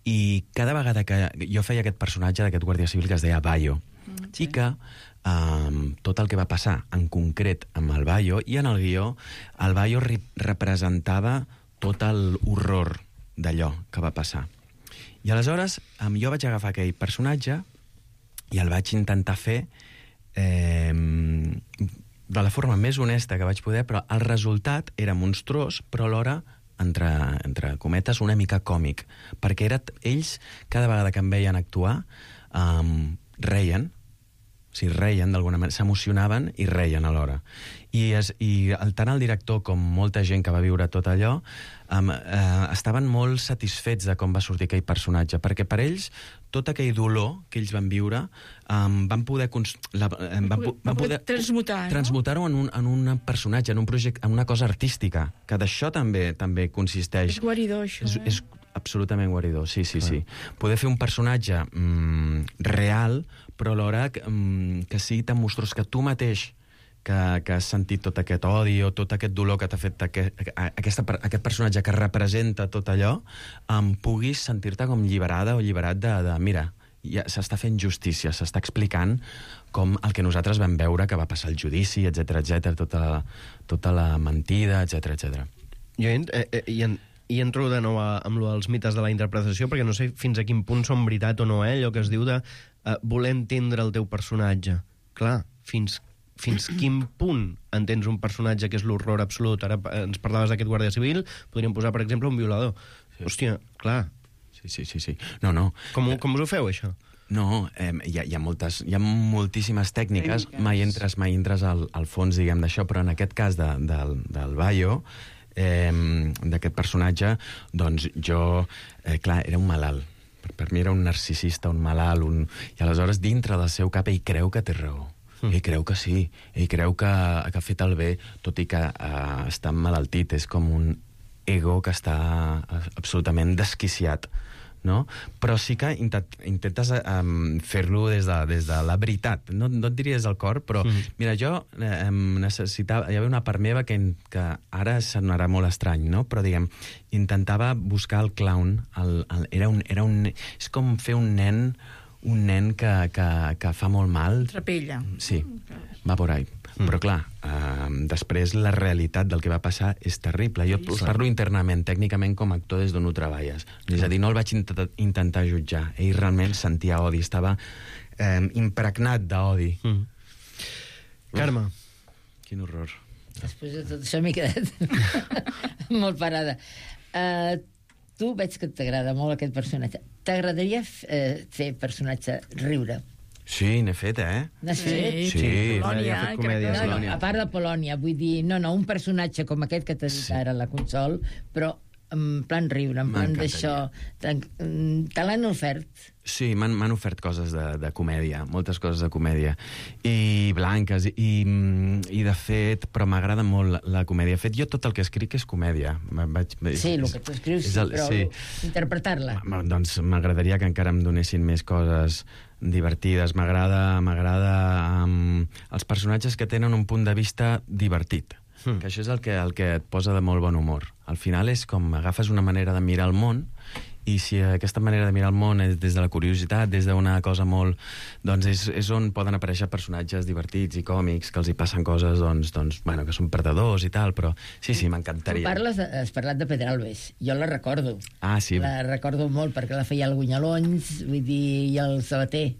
I cada vegada que jo feia aquest personatge d'aquest guàrdia civil que es deia Bayo, i que tot el que va passar, en concret amb el Bayo, i en el guió, el Bayo representava tot l'horror d'allò que va passar. I aleshores jo vaig agafar aquell personatge i el vaig intentar fer de la forma més honesta que vaig poder, però el resultat era monstruós, però alhora entre cometes, una mica còmic, perquè ells, cada vegada que em veien actuar, reien, reien d'alguna manera, s'emocionaven i reien alhora. I tant el director com molta gent que va viure tot allò estaven molt satisfets de com va sortir aquell personatge, perquè per ells tot aquell dolor que ells van viure van poder transmutar-ho en un personatge, en un projecte, en una cosa artística, que d'això també consisteix. És guaridor, això, és absolutament guaridor, sí. Poder fer un personatge real, però alhora que sigui tan monstruós que tu mateix que has sentit tot aquest odi o tot aquest dolor que t'ha fet aquest personatge que representa tot allò, puguis sentir-te com alliberada o alliberat de mira, ja s'està fent justícia, s'està explicant com el que nosaltres vam veure que va passar el judici, etc, tota la mentida, etc. Jo hi entro de nou amb els mites de la interpretació, perquè no sé fins a quin punt són veritat o no, allò que es diu de voler entendre el teu personatge. Clar, fins quin punt entens un personatge que és l'horror absolut? Ara ens parlaves d'aquest guàrdia civil, podríem posar, per exemple, un violador. Sí. Hòstia, clar. Sí. No. Com us ho feu, això? No, hi ha moltíssimes tècniques. Mai entres al fons, diguem, d'això, però en aquest cas del Bayo, d'aquest personatge, doncs jo, clar, era un malalt. Per mi era un narcisista, un malalt, i aleshores dintre del seu cap ell creu que té raó. Ell creu que sí, ell creu que ha fet el bé, tot i que està emmalaltit, és com un ego que està absolutament desquiciat, no? Però sí que intentes fer-lo des de la veritat, no et diria des del cor, però mira, jo necessitava, hi havia una part meva que ara sonarà molt estrany, no? Però diguem, intentava buscar el clown, és com fer un nen que fa molt mal. Trapella. Sí, va por ahí. Però clar, després la realitat del que va passar és terrible. Jo us parlo internament, tècnicament, com a actor des d'on ho treballes. És a dir, no el vaig intentar jutjar. Ell realment sentia odi, estava impregnat d'odi. Carme. Quin horror. Després de tot això m'he quedat molt parada. Tu veig que t'agrada molt aquest personatge. T'agradaria fer personatge riure? Sí, n'he fet, N'has fet? Sí. Polònia. A part de Polònia, vull dir, un personatge com aquest que t'ha dit ara la Consol, però en plan riure, en plan d'això. Te l'han ofert? Sí, m'han ofert coses de comèdia, moltes coses de comèdia, i blanques, i de fet, però m'agrada molt la comèdia. De fet, jo tot el que escric és comèdia. Sí, el que tu escrius, però interpretar-la. Doncs m'agradaria que encara em donessin més coses divertides. M'agrada els personatges que tenen un punt de vista divertit. Que això és el que et posa de molt bon humor. Al final és com agafes una manera de mirar el món, i si aquesta manera de mirar el món és des de la curiositat, des d'una cosa molt... Doncs és on poden aparèixer personatges divertits i còmics, que els hi passen coses, bueno, que són perdedors i tal, però sí, m'encantaria. Tu has parlat de Pedralbes. Jo la recordo. Ah, sí. La recordo molt, perquè la feia el Gunyalons, vull dir, i el Sabater.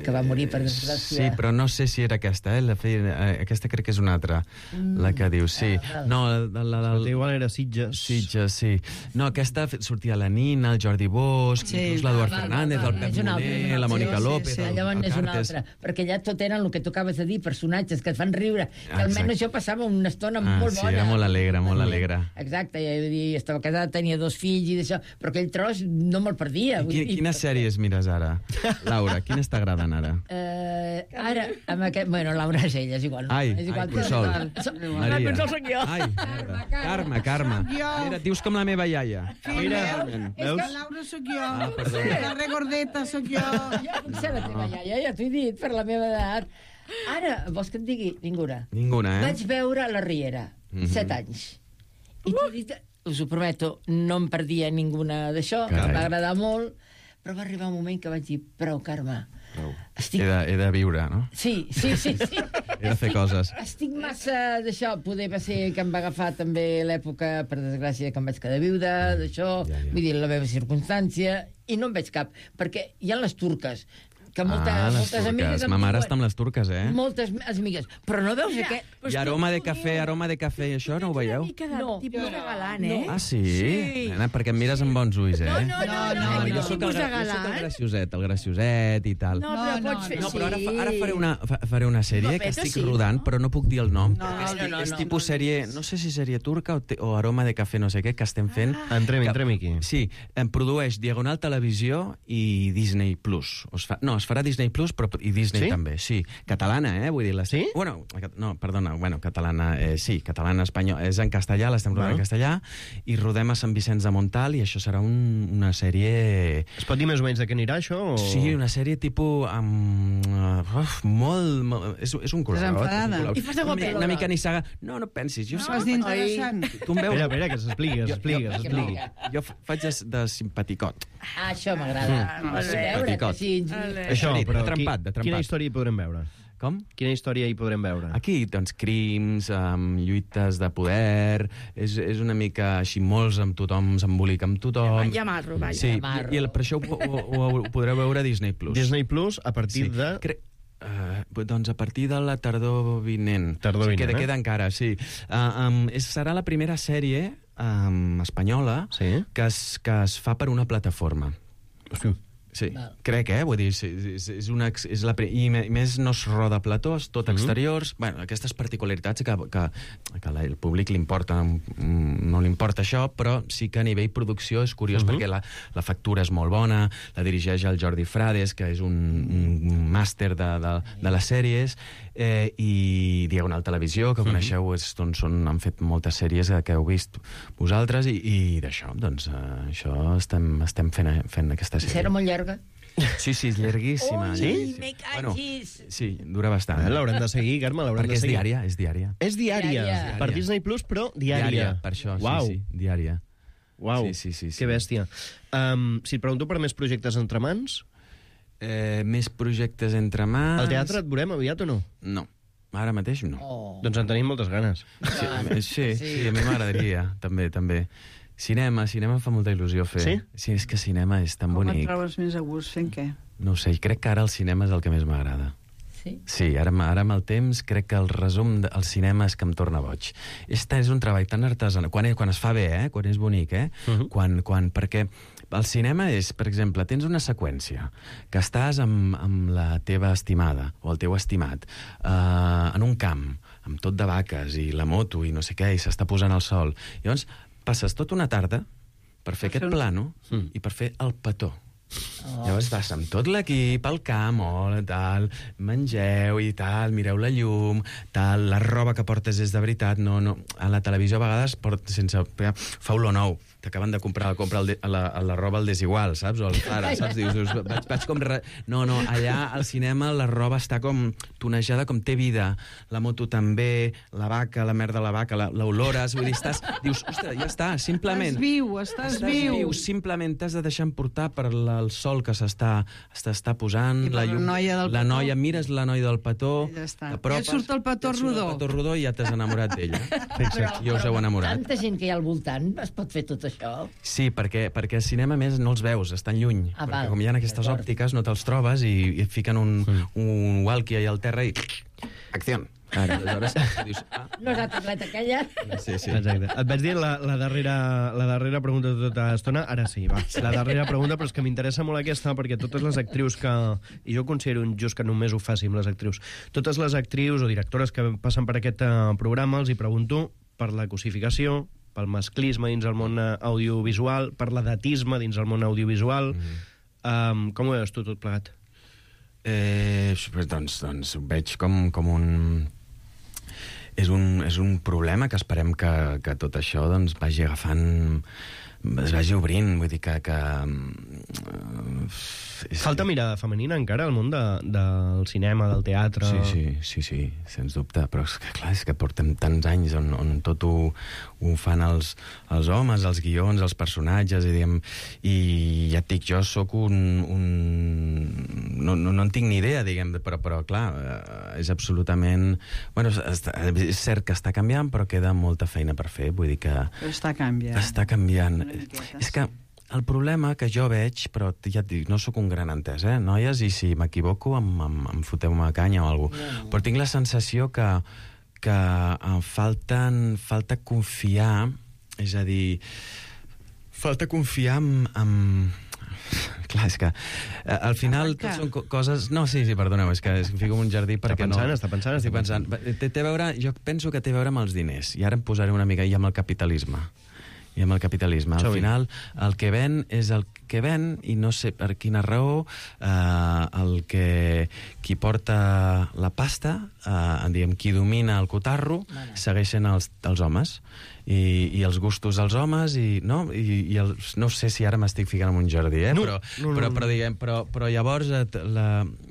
que va morir, per desgràcia. Sí, però no sé si era aquesta, aquesta crec que és una altra, la que diu, sí. No, igual era Sitges. Sitges, sí. No, aquesta sortia la Nina, el Jordi Bosch, inclús l'Eduard Fernández, el Pep Moner, la Mònica López... Llavors és una altra, perquè ja tot eren el que tu acabes de dir, personatges que et fan riure, que almenys jo passava una estona molt bona. Sí, era molt alegre, molt alegre. Exacte, estava casada, tenia 2 fills i d'això, però aquell tros no me'l perdia. Quines sèries mires ara? Laura, quines t'agraden ara? Ara, amb aquest... Bueno, Laura és ella, és igual. Ai, Consol. La Consol soc jo. Ai, Carme. Mira, dius com la meva iaia. Mira, és que Laura soc jo. La regordeta soc jo. Jo puc ser la teva iaia, ja t'ho he dit, per la meva edat. Ara, vols que et digui? Ninguna. Ninguna, Vaig veure La Riera, 7 anys. I t'ho dic, us ho prometo, no em perdia ninguna d'això, em va agradar molt, però va arribar un moment que vaig dir, prou, Carme. He de viure, no? Sí. He de fer coses. Estic massa d'això, poder va ser que em va agafar també l'època, per desgràcia, que em vaig quedar viuda, d'això, vull dir, la meva circumstància, i no en veig cap, perquè hi ha les turques, que moltes amigues... Ma mare està amb les turques, Moltes amigues. Però no veus aquest... I aroma de cafè, i això no ho veieu? Una mica de tipus de galant, Ah, sí? Nena, perquè em mires amb bons ulls, No. Jo soc el gracioset i tal. No, però pots fer... No, però ara faré una sèrie que estic rodant, però no puc dir el nom. És tipus sèrie, no sé si sèrie turca o aroma de cafè, no sé què, que estem fent. Entrem aquí. Sí, em produeix Diagonal Televisió i Disney Plus. Es farà Disney Plus, però i Disney també, sí. Catalana, vull dir... Sí? Bueno, no, perdona, catalana, sí, catalana, espanyol, és en castellà, l'estem rodant en castellà, i rodem a Sant Vicenç de Montalt, i això serà una sèrie... Es pot dir més o menys de què anirà, això? O... Sí, una sèrie tipus... molt... És un col·laborat. I fas de guapet. Una mica nissaga. No pensis. Jo fas d'interessant. Tu em veus... Espera, que s'expliqui. Jo faig de simpaticot. Això m'agrada. Simpaticot. Això, però de trempat. Quina història hi podrem veure? Com? Quina història hi podrem veure? Aquí, doncs, crims, lluites de poder... És una mica així, molts amb tothom, s'embolica amb tothom... Ja marro, vaja. Sí, i per això ho podreu veure a Disney Plus. Disney Plus, a partir de... Doncs a partir de la tardor vinent. Queda encara, sí. Serà la primera sèrie espanyola que es fa per una plataforma. Sí, crec, vull dir, i més no es roda plató, és tot exteriors, bueno, aquestes particularitats que al públic li importa, no li importa això, però sí que a nivell producció és curiós perquè la factura és molt bona, la dirigeix el Jordi Frades, que és un màster de les sèries, i Diagonal Televisió, que coneixeu, han fet moltes sèries que heu vist vosaltres, i d'això, doncs, això estem fent aquesta sèrie. Serà molt llarga? Sí, llarguíssima. Sí? Me cachis! Sí, dura bastant. L'haurem de seguir, Carme, l'haurem de seguir. Perquè és diària. És diària. Per Disney Plus, però diària. Per això, sí, diària. Uau, sí. Que bèstia. Si et pregunto per més projectes entre mans... Més projectes entre mans... Al teatre et veurem aviat o no? No. Ara mateix no. Doncs en tenim moltes ganes. Sí, a mi m'agradaria, també. Cinema fa molta il·lusió fer. Sí? Sí, és que cinema és tan bonic. Com et trobes més a gust fent què? No ho sé, crec que ara el cinema és el que més m'agrada. Sí? Sí, ara amb el temps crec que el resum del cinema és que em torna boig. És un treball tan artesanal, quan es fa bé, quan és bonic, perquè el cinema és, per exemple, tens una seqüència que estàs amb la teva estimada o el teu estimat en un camp, amb tot de vaques i la moto i no sé què, i s'està posant el sol. Llavors, passes tota una tarda per fer aquest plano i per fer el petó. Llavors vas amb tot l'equip al camp, tal, mengeu i tal, mireu la llum, tal, la roba que portes és de veritat, no, a la televisió a vegades fa olor nou, t'acaben de comprar la roba al Desigual, saps? O al Zara, saps? Dius, vaig com... No, allà al cinema la roba està com tonejada, com té vida, la moto també, la vaca, la merda de la vaca, l'olores, vull dir, dius, ostres, ja està, simplement... Estàs viu. Simplement t'has de deixar emportar per el sol sol que s'està posant, I la noia del petó. mires la noia del petó, Ja està. t'apropes, I et surt el petó rodó. El petó rodó i ja t'has enamorat d'ella. Fixa't. I us heu enamorat. Tanta gent que hi ha al voltant, es pot fer tot això? Sí, perquè al cinema, a més, no els veus, estan lluny. Ah, perquè val. com hi ha aquestes D'acord. òptiques, no te'ls trobes i et fiquen un walkie allà al terra i... Acció! Aleshores, dius... No és la tableta aquella? Sí. Exacte. Et vaig dir la darrera pregunta de tota l'estona, ara sí, va. La darrera pregunta, però és que m'interessa molt aquesta, perquè totes les actrius que... I jo considero injust que només ho faci amb les actrius. Totes les actrius o directores que passen per aquest programa els hi pregunto per la cosificació, pel masclisme dins el món audiovisual, per l'edatisme dins el món audiovisual. Com ho veus tu tot plegat? Doncs ho veig com un... És un problema que esperem que tot això doncs, vagi agafant... es vagi obrint, vull dir que Falta mirada femenina encara al món del cinema, del teatre... Sí, sens dubte, però és que, clar, és que portem tants anys on tot ho fan els homes, els guions, els personatges, i ja et dic, jo sóc no en tinc ni idea, però clar, és absolutament... Bueno, és cert que està canviant, però queda molta feina per fer, vull dir que... Però està canviant. Està canviant. És que el problema que jo veig, però ja et dic, no sóc un gran entès, noies, i si m'equivoco em foteu una canya o alguna cosa. Però tinc la sensació que falta confiar, és a dir, falta confiar en... Clar, és que al final tot són coses... No, sí, perdoneu, és que em fico en un jardí perquè Està pensant. Té a veure, jo penso que té a veure amb els diners, i ara em posaré una mica amb el capitalisme. Al final, el que ven és el que ven, i no sé per quina raó qui porta la pasta, qui domina el cotarro, segueixen els homes. I els gustos dels homes, no sé si ara m'estic ficant en un jardí, però llavors,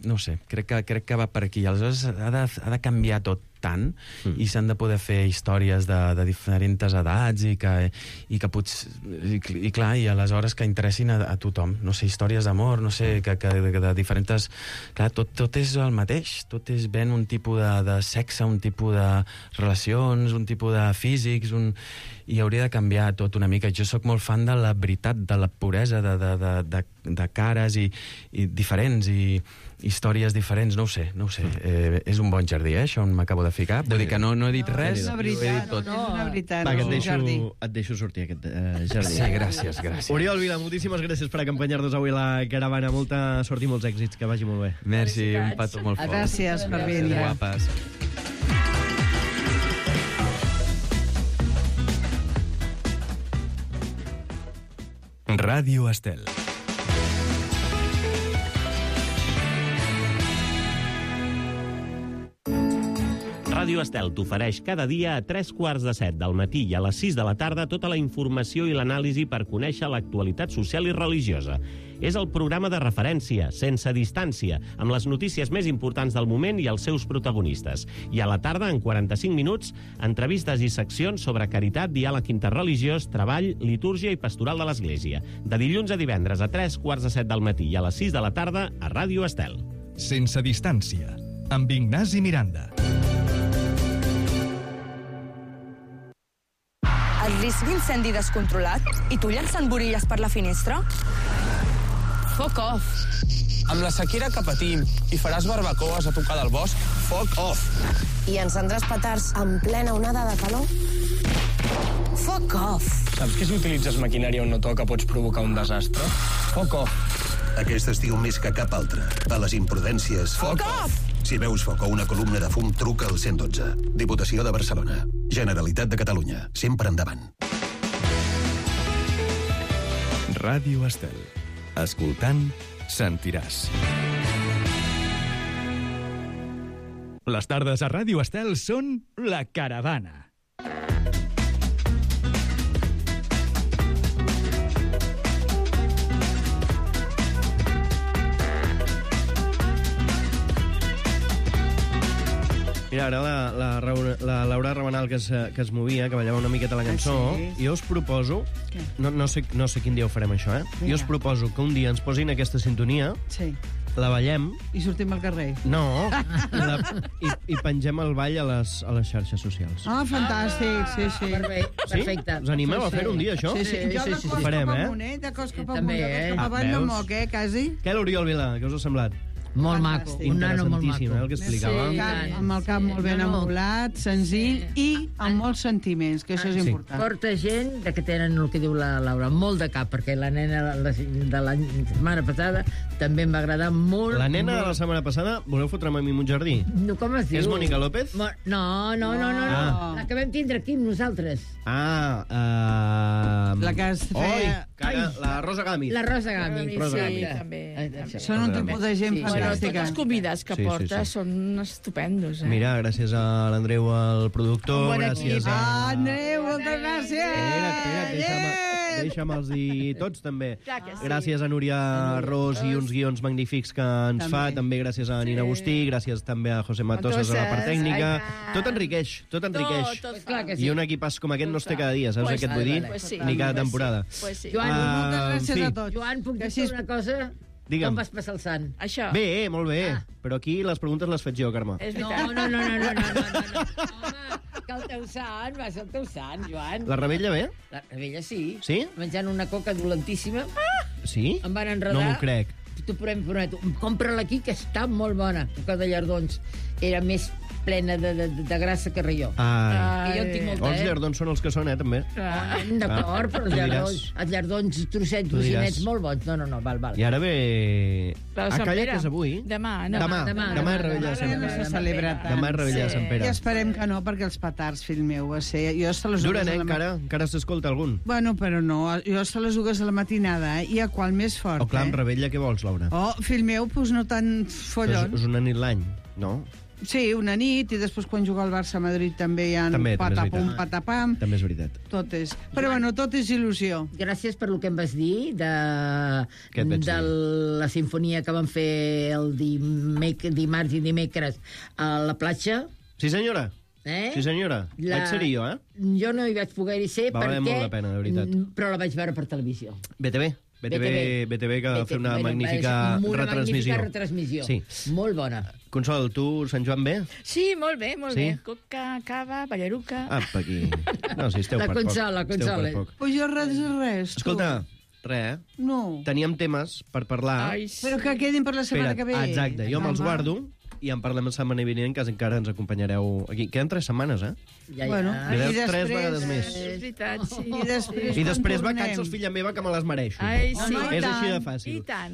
no sé, crec que va per aquí. Aleshores ha de canviar tot tant, i s'han de poder fer històries de diferents edats, i clar, i aleshores que interessin a tothom, no sé, històries d'amor, no sé, que de diferents... Clar, tot és el mateix, tot és ben un tipus de sexe, un tipus de relacions, un tipus de físics, i hauria de canviar tot una mica. Jo sóc molt fan de la veritat, de la puresa, de cares i diferents, i històries diferents, no ho sé. És un bon jardí, això on m'acabo de ficar. Vull dir que no he dit res, és una veritat, tot. És una veritat. Va, que et deixo sortir aquest jardí. Sí, gràcies. Oriol Vila, moltíssimes gràcies per acompanyar-nos avui a la caravana. Molta sort i molts èxits, que vagi molt bé. Merci, un petó molt fort. Gràcies per vindre. Guapes. Ràdio Estel. Ràdio Estel t'ofereix cada dia a 7:15 del matí i a les 6 de la tarda tota la informació i l'anàlisi per conèixer l'actualitat social i religiosa. És el programa de referència, sense distància, amb les notícies més importants del moment i els seus protagonistes. I a la tarda, en 45 minuts, entrevistes i seccions sobre caritat, diàleg interreligiós, treball, litúrgia i pastoral de l'Església. De dilluns a divendres a 7:15 del matí i a les 6 de la tarda a Ràdio Estel. Sense distància, amb Ignasi Miranda. El risc d'incendi descontrolat i tu llançant borilles per la finestra? Fuck off. Amb la sequera que patim i faràs barbacoes a tocar del bosc, fuck off. I encendràs petards en plena onada de calor? Fuck off. Saps que si utilitzes maquinària on no toca pots provocar un desastre? Fuck off. Aquest estiu més que cap altre. A les imprudències... Fuck off! Si veus foc o una columna de fum, truca al 112. Diputació de Barcelona. Generalitat de Catalunya. Sempre endavant. Ràdio Estel. Escoltant, sentiràs. Les tardes a Ràdio Estel són La Caravana. Mira, ara la Laura Rabanal que es movia, que ballava una miqueta la cançó, jo us proposo... No sé quin dia ho farem, això, Jo us proposo que un dia ens posin aquesta sintonia, la ballem... I sortim al carrer. No, i pengem el ball a les xarxes socials. Ah, fantàstic, sí. Perfecte. Us animeu a fer un dia, això? Sí. Jo de cos cap amunt, de cos cap amunt, de cos cap avall no moc, quasi. Què, l'Oriol Vila? Què us ha semblat? Molt maco, un nano molt maco. El que explicava. Sí, amb el cap molt ben amolat, senzill i amb molts sentiments, que això és important. Porta gent que tenen el que diu la Laura, molt de cap, perquè la nena de la setmana passada també em va agradar molt. La nena de la setmana passada, voleu fotre'm a mi un jardí? No, com es diu? És Mònica López? No. La que vam tindre aquí amb nosaltres. La que es feia... La Rosa Gàmit. La Rosa Gàmit. Sí, també. Són un tipus de gent fantàstica. Tots els convidats que porta són estupendos. Mira, gràcies a l'Andreu, el productor, gràcies a... Andreu, moltes gràcies! Espera't, deixa'm-els dir tots, també. Gràcies a Núria Ros i uns guions magnífics que ens fa, també gràcies a Nina Agustí, gràcies també a José Matosas a la part tècnica. Tot enriqueix. I un equipàs com aquest no es té cada dia, saps què et vull dir? Ni cada temporada. Joan, moltes gràcies a tots. Joan, puc dir una cosa? Digue'm. Com vas passar el sant? Això. Bé, molt bé. Però aquí les preguntes les faig jo, Carme. No. Home, que el teu sant va ser el teu sant, Joan. La Rebella bé? La Rebella sí. Sí? Menjant una coca dolentíssima. Sí? Em van enredar. No m'ho crec. T'ho prometo. Compra-la aquí, que està molt bona. Coca de llardons. Era més plena de grassa que relló. Que jo en tinc molta, Els llardons són els que són, també. D'acord, però els llardons trossinets molt bons. No, val. I ara ve... Calla, que és avui? Demà és Rebella de Sant Pere. No s'ha celebrat tant. Demà és Rebella de Sant Pere. I esperem que no, perquè els petards, fill meu, va ser... Duren, encara s'escolta algun? Bueno, però no. Jo hasta les 2 de la matinada, i a qual més fort, clar, amb Rebella què vols, Laura? Fill meu, doncs no tan follon. És una nit l'any, no? Sí, una nit, i després quan juga el Barça a Madrid també hi ha patapum, patapam. També és veritat. Tot és. Però bueno, tot és il·lusió. Gràcies per el que em vas dir de la sinfonia que vam fer el dimarts i dimecres a la platja. Sí, senyora. Sí, senyora. Vaig ser-hi jo, Jo no hi vaig poder-hi ser perquè... Va valer molt la pena, de veritat. Però la vaig veure per televisió. BTV que va fer una magnífica retransmissió. Sí. Molt bona. Consol, tu, Sant Joan, bé? Sí, molt bé. Coca, cava, ballaruca... Apa, aquí. No, si esteu per poc. La Consol. Pues jo res. Escolta, res, No. Teníem temes per parlar. Però que quedin per la setmana que ve. Exacte, jo me'ls guardo i en parlem la setmana vinent, que encara ens acompanyareu aquí. Queden 3 setmanes, Bueno, i 3 vegades més. És veritat, sí. I després vacances, filla meva, que me les mereixo. Ai, sí. És així de fàcil. I tant.